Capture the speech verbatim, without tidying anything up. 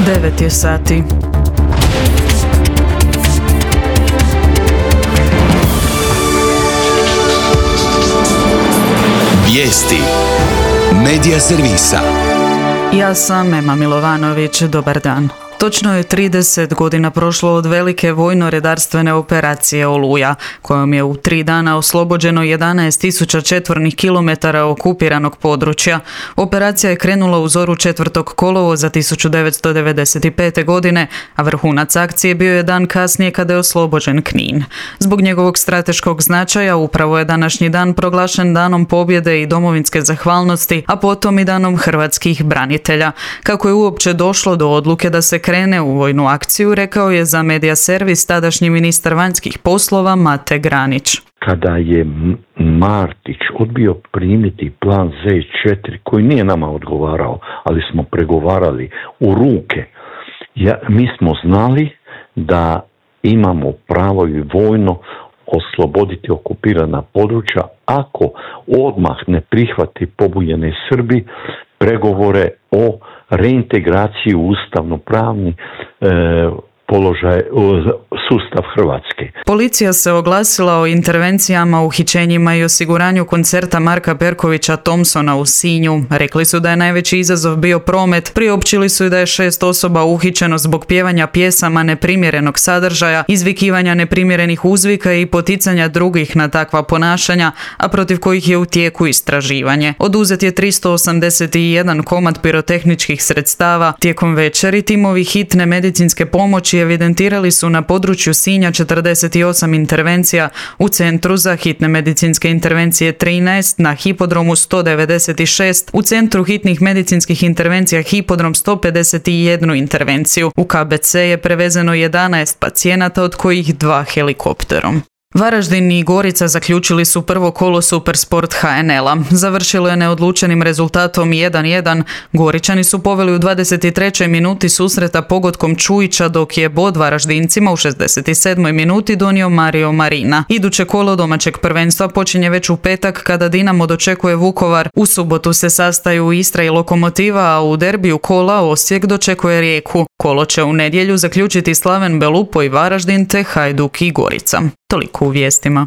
devet je sati. Vijesti Medija servisa. Ja sam Ema Milovanović, dobar dan. Točno je trideset godina prošlo od velike vojno-redarstvene operacije Oluja, kojom je u tri dana oslobođeno jedanaest tisuća četvornih kilometara okupiranog područja. Operacija je krenula u zoru četvrtog kolovoza tisuću devetsto devedeset pete. godine, a vrhunac akcije bio je dan kasnije kada je oslobođen Knin. Zbog njegovog strateškog značaja upravo je današnji dan proglašen danom pobjede i domovinske zahvalnosti, a potom i danom hrvatskih branitelja. Kako je uopće došlo do odluke da se krene u vojnu akciju, rekao je za Medija servis tadašnji ministar vanjskih poslova Mate Granić. Kada je Martić odbio primiti plan zet četiri, koji nije nama odgovarao, ali smo pregovarali u ruke, ja, mi smo znali da imamo pravo i vojno osloboditi okupirana područja ako odmah ne prihvati pobunjeni Srbi pregovore o reintegraciji u ustavno-pravni e, položaj, sustav Hrvatske. Policija se oglasila o intervencijama, uhićenjima i osiguranju koncerta Marka Perkovića Thompsona u Sinju. Rekli su da je najveći izazov bio promet, priopćili su i da je šest osoba uhićeno zbog pjevanja pjesama neprimjerenog sadržaja, izvikivanja neprimjerenih uzvika i poticanja drugih na takva ponašanja, a protiv kojih je u tijeku istraživanje. Oduzet je tristo osamdeset jedan komad pirotehničkih sredstava. Tijekom večeri timovi hitne medicinske pomoći evidentirali su na području Sinja četrdeset osam intervencija, u Centru za hitne medicinske intervencije trinaest, na Hipodromu sto devedeset šest, u Centru hitnih medicinskih intervencija Hipodrom sto pedeset jednu intervenciju. U ka be ce je prevezeno jedanaest pacijenata, od kojih dva helikopterom. Varaždin i Gorica zaključili su prvo kolo Supersport ha en el a. Završilo je neodlučenim rezultatom jedan jedan. Goričani su poveli u dvadeset trećoj minuti susreta pogodkom Čujića, dok je bod Varaždincima u šezdeset sedmoj minuti donio Mario Marina. Iduće kolo domaćeg prvenstva počinje već u petak kada Dinamo dočekuje Vukovar. U subotu se sastaju Istra i Lokomotiva, a u derbiju kola Osijek dočekuje Rijeku. Kolo će u nedjelju zaključiti Slaven Belupo i Varaždin te Hajduk i Gorica. Toliko u vijestima.